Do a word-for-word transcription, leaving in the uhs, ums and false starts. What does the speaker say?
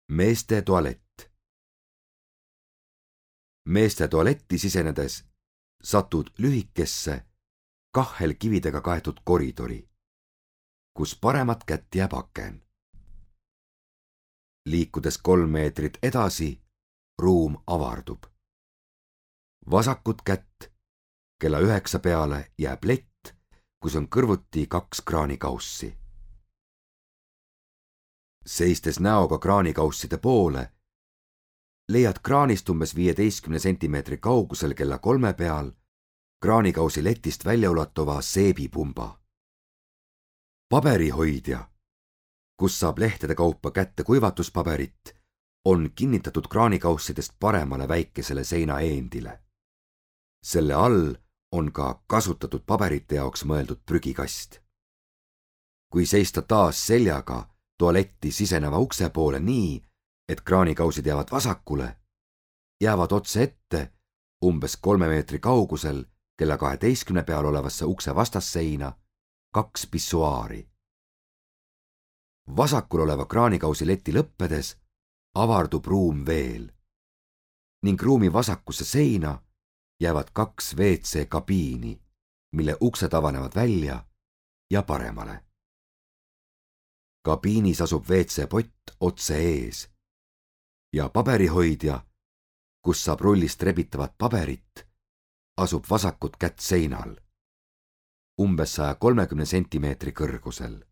meeste tualett. Meeste tualetti sisenedes satud lühikesse, kahhelkividega kaetud koridori, kus paremat kätt jääb aken. Liikudes kolm meetrit edasi, ruum avardub. Vasakut kätt kella üheksa peale jääb lett, kus on kõrvuti kaks kraanikaussi. Seistes näoga kraanikausside poole, leiad kraanist umbes viieteistkümne sentimeetri kaugusel kella kolme peal kraanikausi letist väljaulatuva seebipumba. Paberihoidja, kus saab lehtede kaupa kätte kuivatuspaberit, on kinnitatud kraanikaussidest paremale väikesele seinaeendile. Selle all on ka kasutatud paberite jaoks mõeldud prügikast. Kui seista taas seljaga tualetti siseneva ukse poole nii, et kraanikausid jäävad vasakule, jäävad otse ette umbes kolme meetri kaugusel kella kaheteistkümne peal olevasse ukse vastasseina kaks pissuaari. Vasakul oleva kraanikausi leti lõppedes avardub ruum veel ning ruumi vasakusse seina jäävad kaks ve ce kabiini, mille uksed avanevad välja ja paremale. Kabiinis asub ve ce pott otse ees ja paberihoidja, kus saab rullist rebitavat paberit, asub vasakut kätt seinal, umbes saja kolmekümne sentimeetri kõrgusel.